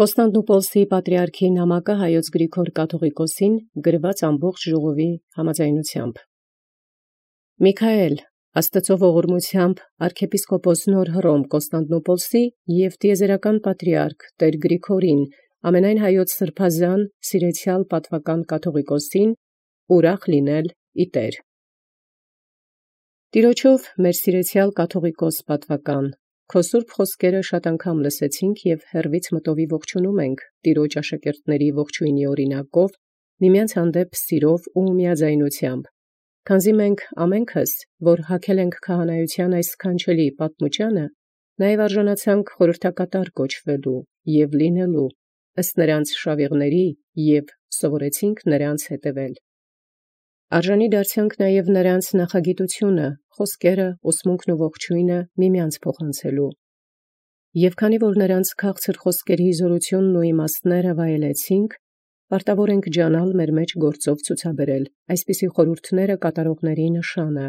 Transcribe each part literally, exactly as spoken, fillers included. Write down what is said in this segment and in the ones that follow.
Կոստանդնուպոլսի պատրիարքի նամակը հայոց Գրիգոր կաթողիկոսին գրված ամբողջ ժողովի համաձայնությամբ։ Միքայել, Աստծո ողորմությամբ arczepiskopos Նոր Հռոմ Կոստանդնուպոլսի և տիեզերական պատրիարք Տեր Գրիգորին, ամենայն հայոց սրբազան սիրեցյալ պատվական կաթողիկոսին, ուրախ լինել ի Տեր։ Տիրոջով մեր սիրեցյալ կաթողիկոս պատվական, քո սուրբ խոսքերը շատ անգամ լսեցինք և հեռվից մտովի ողջունում ենք Տիրոջ աշակերտների ողջույնի օրինակով, միմյանց հանդեպ սիրով ու միաձայնությամբ, քանզի մենք ամենքս, որ հագել ենք քահանայության այս սքանչելի պատմուճանը, նաև արժանացանք խորհրդակատար կոչվելու և լինելու ըստ նրանց շավիղների և սովորեցինք նրանց հետևել։ Արժանի դարձանք նաև նրանց նախագիտությունը, խոսքերը, ուսմունքն ու ողջույնը միմյանց փոխանցելու։ Եվ քանի որ նրանց քաղցր խոսքերի զորությունն ու իմաստները վայելեցինք, պարտավոր ենք ջանալ մեր մեջ գործով ցուցաբերել այսպիսի խորհուրդները կատարողների նշանը։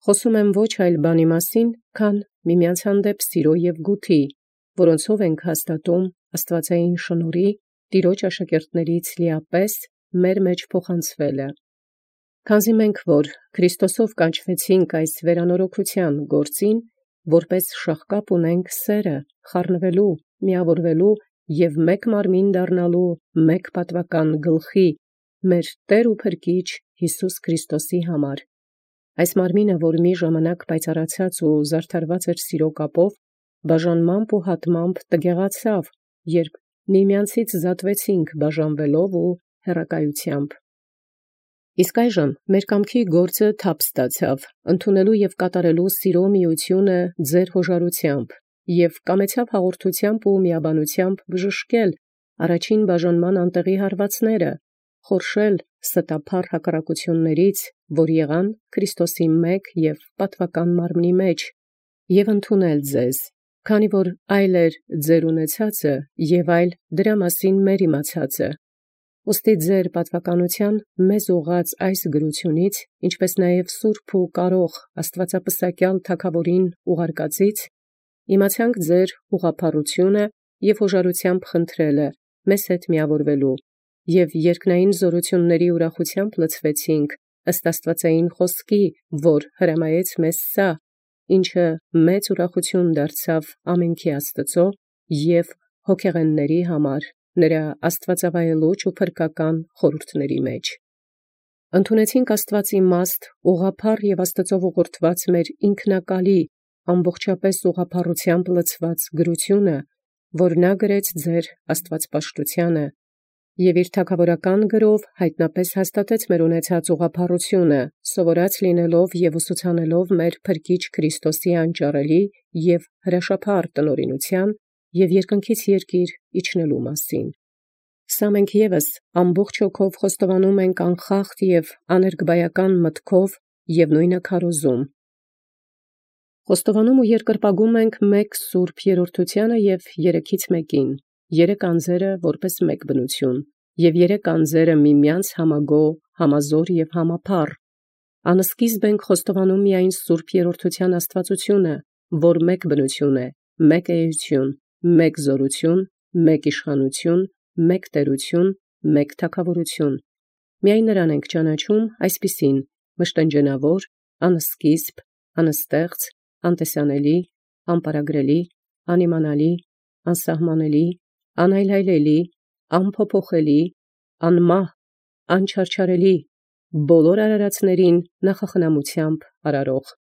Խոսում եմ ոչ այլ բանի մասին, քան միմյանց հանդեպ սիրո և գութի, որոնցով ենք հաստատում աստվածային շնորհի Տիրոջ աշակերտներից լիապես մեր մեջ փոխանցվելը։ Քանզի մենք, որ Քրիստոսով կանչվեցինք այս վերանորոգության գործին, որպես շաղկապ ունենք սերը, խառնվելու, միավորվելու և մեկ մարմին դառնալու մեկ պատվական գլխի, մեր Տեր ու Փրկիչ Յիսուս Քրիստոսի համար։ Այս մարմինը, որ մի ժամանակ պայծառացած ու զարդարված էր սիրո կապով, բաժանմամբ ու հատմամբ տգեղացավ, երբ միմյանցից զատվեցինք բաժանվելով ու հեռակայությամբ։ Իսկ այժմ մեր կամքի գործը թափ ստացավ, ընդունելու և կատարելու սիրո միությունը ձեր հոժարությամբ, և կամեցավ հաղորդությամբ ու միաբանությամբ բժշկել առաջին բաժանման անտեղի հարվածները, խորշել ստափառ հակառակություններից, որ եղան Քրիստոսի մեկ և պատվական մարմնի մեջ, և ընդունել ձեզ, քանի որ այլ էր ձեր ունեցածը և այլ դրա մասին մեր իմացածը։ Ուստի ձեր պատվականության մեզ ուղղած այս գրությունից, ինչպես նաև սուրբ ու կարող աստվածապսակյալ թագաւորին ուղարկածից, իմացանք ձեր ուղղափառությունը և հոժարությամբ խնդրելը մեզ հետ միավորվելու, և երկնային զորությունների ուրախությամբ լցվեցինք ըստ աստվածային խոսքի, որ հրամայեց մեզ սա, ինչը մեծ ուրախություն դարձավ ամենքի Աստծո և հոգեղենների համար նրա աստվածավայելուչ ու փրկական խորհուրդների մեջ։ Ընդունեցինք Աստուած իմաստ, ուղղափառ և Աստծով ուղղորդված մեր ինքնակալի, ամբողջապես ուղղափառությամբ լցված գրությունը, որ նա գրեց ձեր աստվածպաշտությանը, և իր թագաւորական գրով հայտնապես հաստատեց մեր ունեցած ուղղափառությունը, սովորած լինելով և ուսուցանելով մեր Փրկիչ Քրիստոսի անճարելի և հրաշափառ տնօրինութեան և երկնքից երկիր իջնելու մասին։ Սա մենք ևս ամբողջ հոգով խոստովանում ենք անխախտ և աներկբայական մտքով և նույնը քարոզում։ Խոստովանում ու երկրպագում ենք մեկ սուրբ երրորդությանը և երեքից մեկին, երեք անձերը որպես մեկ բնություն, և երեք անձերը միմյանց համագոհ, համազոր և համափառ։ Անսկիզբ ենք խոստովանում միայն սուրբ երրորդության աստվածությունը, որ մեկ բնություն է, մեկ էություն, մեկ զորություն, մեկ իշխանություն, մեկ տերություն, մեկ թագաւորություն։ Միայն նրան ենք ճանաչում այսպիսին՝ մշտնջենավոր, անսկիզբ, անստեղծ, անտեսանելի, անպարագրելի, անիմանալի, անսահմանելի, անայլայլելի, անփոփոխելի, անմահ, անչարչարելի, բոլոր արարածներին նախախնամությամբ արարող։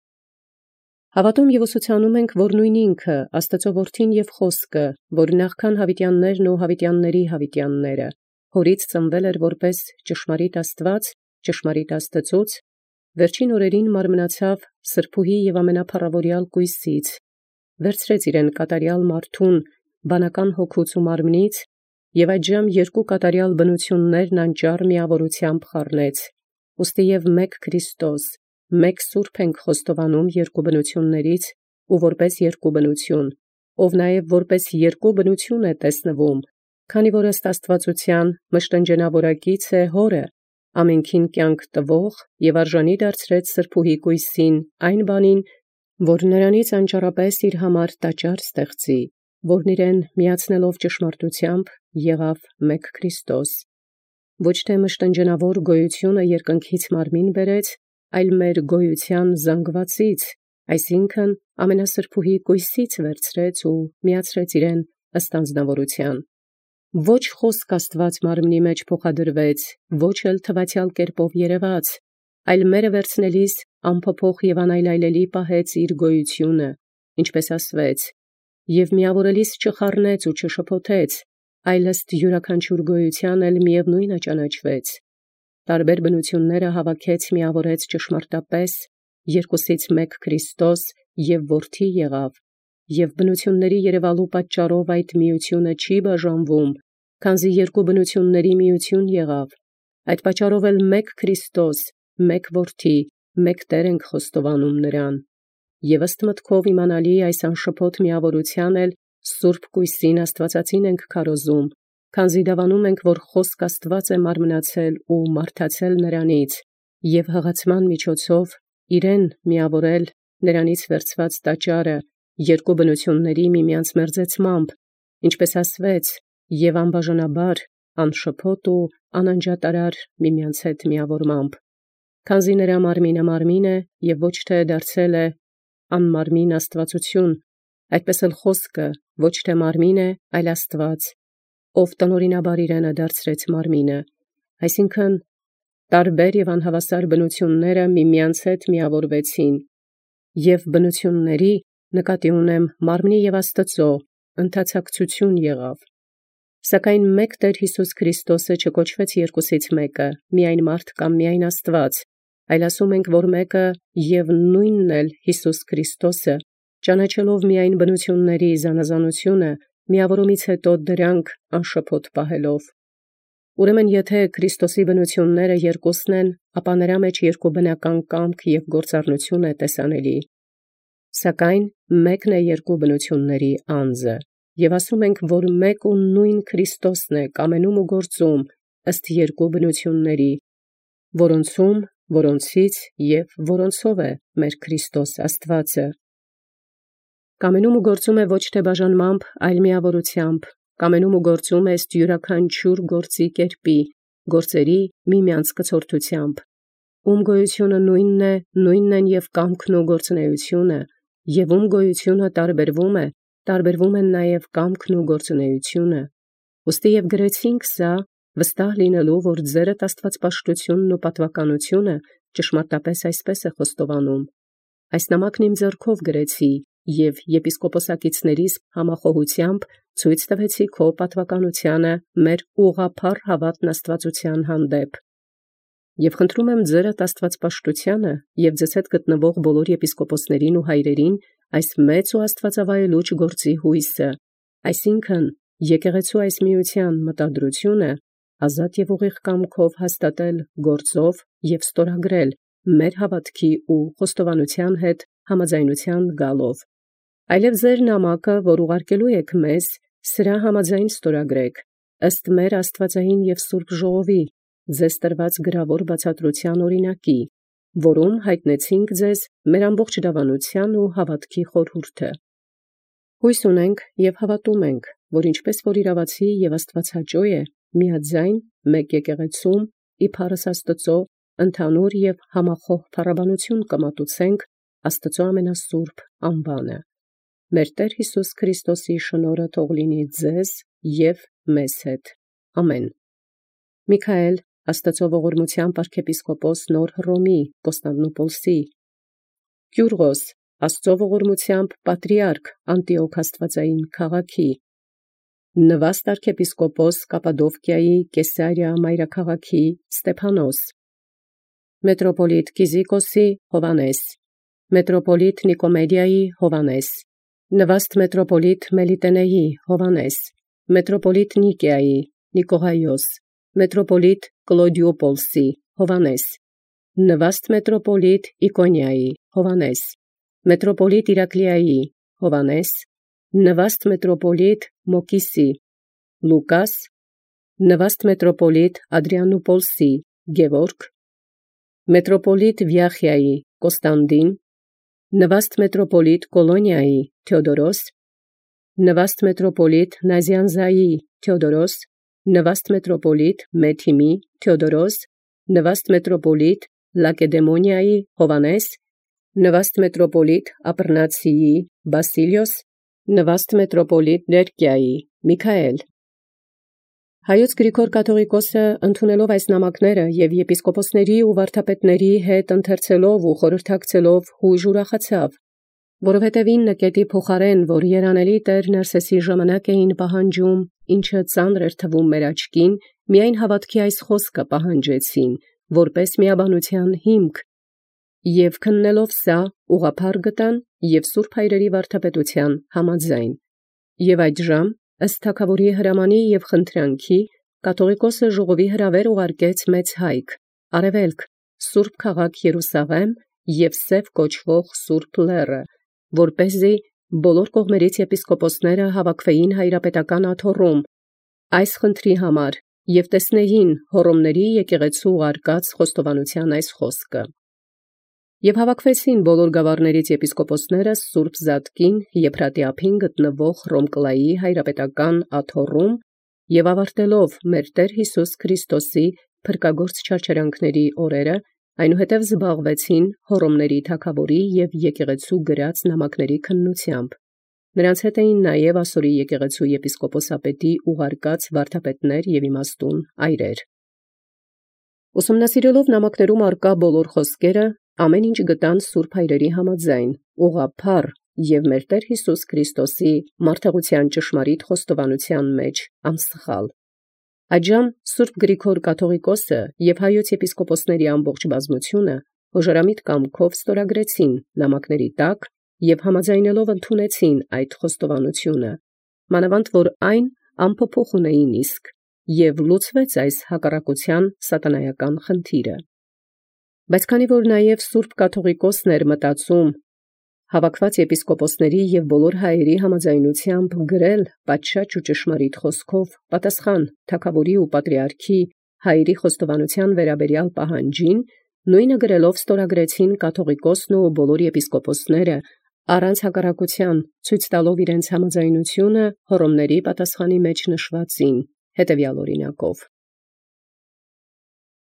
Հավատում և ուսուցանում ենք, որ նույն ինքը, Աստծո Որդին և Խոսքը, որ նախքան յաւիտյաններն ու յաւիտյանների յաւիտյանները, հորից ծնվել էր որպես ճշմարիտ Աստուած, ճշմարիտ Աստծոց, վերջին օրերին մարմնացավ սրբոյի և ամենափառաւորեալ Կույսից, վերցրեց իրեն կատարյալ մարդուն, բանական հոգուց ու մարմնից, և այդժամ երկու կատարյալ բնություններն անճառ միավորությամբ խառնեց, ուստի և մեկ Քրիստոս, մեկ Սուրբ ենք խոստովանում երկու բնություններից ու որպես երկու բնություն, ով նաև որպես երկու բնություն է տեսնվում, քանի որ ըստ աստվածության մշտնջենավորակից է Հորը, ամենքին կյանք տվող և արժանի դարձրեց սրբոյի Կույսին այն բանին, որ նրանից անճառապես իր համար տաճար ստեղծի, որն իրեն միացնելով ճշմարտութեամբ եղավ մեկ Քրիստոս, ոչ թե մշտնջենավոր գոյությունը երկնքից մարմին բերեց, այլ մեր գոյության զանգվածից, այսինքն ամենասրբուհի կույսից վերցրեց ու միացրեց իրեն ըստ անձնավորության։ Ոչ խոսք Աստված մարմնի մեջ փոխադրվեց, ոչ էլ թվացյալ կերպով երևաց, այլ մերը վերցնելիս անփոփոխ եւ անայլայլելի պահեց իր գոյությունը, ինչպես ասվեց, եւ միավորելիս չխառնեց ու չշփոթեց, այլ ըստ յուրաքանչյուր գոյության էլ միևնույնը ճանաչվեց։ Տարբեր բնությունները հավաքեց միավորեց ճշմարտապես, երկուսից մեկ Քրիստոս եւ որդի եղավ, եւ բնությունների երևալու պատճառով այդ միությունը չի բաժանվում, քանզի երկու բնությունների միություն եղավ։ Այդ պատճառով էլ մեկ Քրիստոս, մեկ որդի, մեկ Տեր ենք խոստովանում նրան։ Եվ ըստ մտքով իմանալի այս անշփոթ միավորության էլ Սուրբ Կույսին Աստվածածին ենք քարոզում, քանզի դավանում ենք, որ խոսք Աստված է մարմնացել ու մարդացել նրանից, եւ հղացման միջոցով իրեն միավորել նրանից վերցված տաճարը երկու բնությունների միմյանց մերձեցմամբ, ինչպես ասվեց, եւ անբաժանաբար, անշփոթ ու անանջատարար միմյանց հետ միավորմամբ, քանզի նրա մարմինը մարմին է եւ ոչ թե դարձել է անմարմին Աստվածություն, այդպես էլ խոսքը ոչ թե մարմին է, այլ Աստված, ով տնօրինաբար իրենը դարձրեց մարմինը, այսինքն տարբեր եւ անհավասար բնությունները միմյանց հետ միավորվեցին, եւ բնությունների նկատի ունեմ մարմնի եւ Աստծո ընթացակցություն եղավ։ Սակայն մեկ Տեր Հիսուս Քրիստոսը չկոչվեց երկուսից մեկը, միայն մարդ կամ միայն Աստված, այլ ասում ենք, որ մեկը եւ նույնն էլ Հիսուս Քրիստոսը, ճանաչելով միայն բնությունների զանազանությունը, միավորումից հետո դրանք անշփոթ պահելով։ Ուրեմն եթե Քրիստոսի բնությունները երկուսն են, ապա նրա մեջ երկու բնական կամք եւ գործառնություն է տեսանելի։ Սակայն մեկն է երկու բնությունների անձը, եւ ասում ենք, որ մեկ ու նույն Քրիստոսն է կամենում ու գործում ըստ երկու բնությունների, որոնցում, որոնցից եւ որոնցով է մեր Քրիստոս Աստվածը։ Կամենում ու գործում է ոչ թե բաժանմամբ, այլ միավորությամբ, կամենում ու գործում է ըստ յուրաքանչյուր գործի կերպի, գործերի միմյանց կցորդությամբ, ում գոյությունը նույնն է, նույնն են եւ կամքն ու գործունեությունը, եւ ում գոյությունը տարբերվում է, տարբերվում են նաեւ կամքն ու գործունեությունը։ Ոստի եւ գրեցինք սա, վստահ լինելու, որ ձերդ աստվածպաշտությունն ու պատվականությունը ճշմարտապես այսպես է խոստովանում։ Այս նամակն իմ ձեռքով գրեցի եւ եպիսկոպոսակիցներիս համախոհությամբ ցույց տվեցի քո պատվականությանը մեր ուղղափառ հավատն Աստվածության հանդեպ։ Եվ խնդրում եմ ձերդ աստվածպաշտությանը եւ ձեզ հետ գտնվող բոլոր եպիսկոպոսներին ու հայրերին այս մեծ ու աստվածավայելուչ գործի հույսը, այսինքն եկեղեցու այս միության մտադրությունը ազատ եւ ուղիղ կամքով հաստատել գործով եւ ստորագրել մեր հավատքի ու խոստովանության հետ համաձայնության գալով։ Այլև ձեր նամակը, որ ուղարկելու եք մեզ, սրա համաձայն ստորագրեք, ըստ մեր աստվածային եւ սուրբ ժողովի, ձեզ տրված գրավոր բացատրության օրինակի, որում հայտնեցինք ձեզ մեր ամբողջ դավանության ու հավատքի խորհուրդը։ Հույս ունենք եւ հավատում ենք, որ ինչպես որ իրավացի եւ աստվածհաճո է, միաձայն մեկ եկեղեցում իբարս Աստծո ընդհանուր եւ համախոհ փառաբանություն կմատուցենք Աստծո ամենասուրբ անվանը։ Մեր Տեր Հիսուս Քրիստոսի շնորհը թող լինի ձեզ եւ մեզ հետ։ Ամեն։ Միքայել, Աստծո ողորմությամբ arczepiskopos Նոր Հռոմի Կոստանդնուպոլսի, Կյուրղոս, Աստծո ողորմությամբ Պատրիարք Անտիոք Աստվածային քաղաքի, Նվաստ arczepiskopos Կապադովկիայի Կեսարիա մայրաքաղաքի Ստեփանոս, Մետրոպոլիտ Կիզիկոսի Հովանես, Մետրոպոլիտ Նիկոմեդիայի Հովանես, Նվաստ մետրոպոլիտ Մելիտենեի Հովանես, Մետրոպոլիտ Նիկեայի Նիկողայոս, Մետրոպոլիտ Կլոդիոպոլսի Հովանես, Նվաստ մետրոպոլիտ Իկոնիայի Հովանես, Մետրոպոլիտ Իրակլիայի Հովանես, Նվաստ մետրոպոլիտ Մոկիսի Լուկաս, Նվաստ մետրոպոլիտ Ադրիանուպոլսի Գևորգ, Մետրոպոլիտ Վիախիայի Կոստանդին, Նվաստ մետրոպոլիտ Կոլոնիայի Թեոդորոս, նվաստ մետրոպոլիտ Նազյանզայի Թեոդորոս, նվաստ մետրոպոլիտ Մեթիմի Թեոդորոս, նվաստ մետրոպոլիտ Լակեդեմոնիայի Հովանես, նվաստ մետրոպոլիտ Ապռնացիի Բասիլիոս, նվաստ մետրոպոլիտ Լերկիայի Միքայել։ Հայոց Գրիգոր կաթողիկոսը ընդունելով այս նամակները եւ եպիսկոպոսների ու վարդապետների հետ ընթերցելով ու խորհրդակցելով հույժ ուրախացավ, որովհետև ինը կետի փոխարեն, որ երանելի Տեր Նարսեսի ժամանակ էին պահանջում, ինչը ծանր էր թվում մեր աչքին, միայն հավատքի այս խոսքը պահանջեցին, որպես միաբանության հիմք, եւ քննելով սա ուղղափառ գտան եւ Սուրբ Հայրերի վարդապետության համաձայն, եւ այդժամ ըստ թագաւորի հրամանի եւ խնդրանքի կաթողիկոսը ժողովի հրավեր ուղարկեց մեծ հայք, արևելք, Սուրբ քաղաք Երուսաղեմ եւ Սև կոչվող Սուրբ Լեռը, որպեսզի բոլոր կողմերից եպիսկոպոսները հավաքվեին հայրապետական աթոռում այս խնդրի համար եւ տեսնեին հոռոմների եկեղեցու ուղարկած խոստովանության այս խոսքը։ Եւ հավաքվեցին բոլոր գավառներից եպիսկոպոսները Սուրբ Զատկին Եփրատի ափին գտնվող Ռոմկլայի հայրապետական աթոռում եւ ավարտելով մեր Տեր Հիսուս Քրիստոսի փրկագործ չարչարանքների օրերը, այնուհետև զբաղվեցին հոռոմների թագաւորի եւ եկեղեցու գրած նամակների քննությամբ։ Նրանց հետ էին նաեւ Ասորի եկեղեցու եպիսկոպոսապետի ուղարկած վարդապետներ եւ իմաստուն այրեր։ Ուսումնասիրելով նամակներում արկա բոլոր խոսքերը, ամեն ինչ գտան Սուրբ Հայրերի համաձայն, ուղղափառ եւ մեր Տեր Հիսուս Քրիստոսի մարդեղության ճշմարիտ խոստովանության մեջ անսխալ։ Այդժամ Սուրբ Գրիգոր կաթողիկոսը եւ հայոց եպիսկոպոսների ամբողջ բազմությունը հոժարամիտ կամքով ստորագրեցին նամակների տակ եւ համաձայնելով ընդունեցին այդ խոստովանությունը, մանավանդ որ այն անփոփոխ ունեին իսկ, եւ լուծվեց այս հակառակության սատանայական խնդիրը։ Բայց քանի որ նաև Սուրբ կաթողիկոսն էր մտածում հավաքված եպիսկոպոսների եւ բոլոր հայերի համաձայնությամբ գրել պատշաճ ու ճշմարիտ խոսքով պատասխան թագաւորի ու պատրիարքի հայերի խոստովանության վերաբերյալ պահանջին, նույնը գրելով ստորագրեցին կաթողիկոսն ու բոլոր եպիսկոպոսները առանց հակառակության, ցույց տալով իրենց համաձայնությունը հոռոմների պատասխանի մեջ նշվածին հետևյալ օրինակով։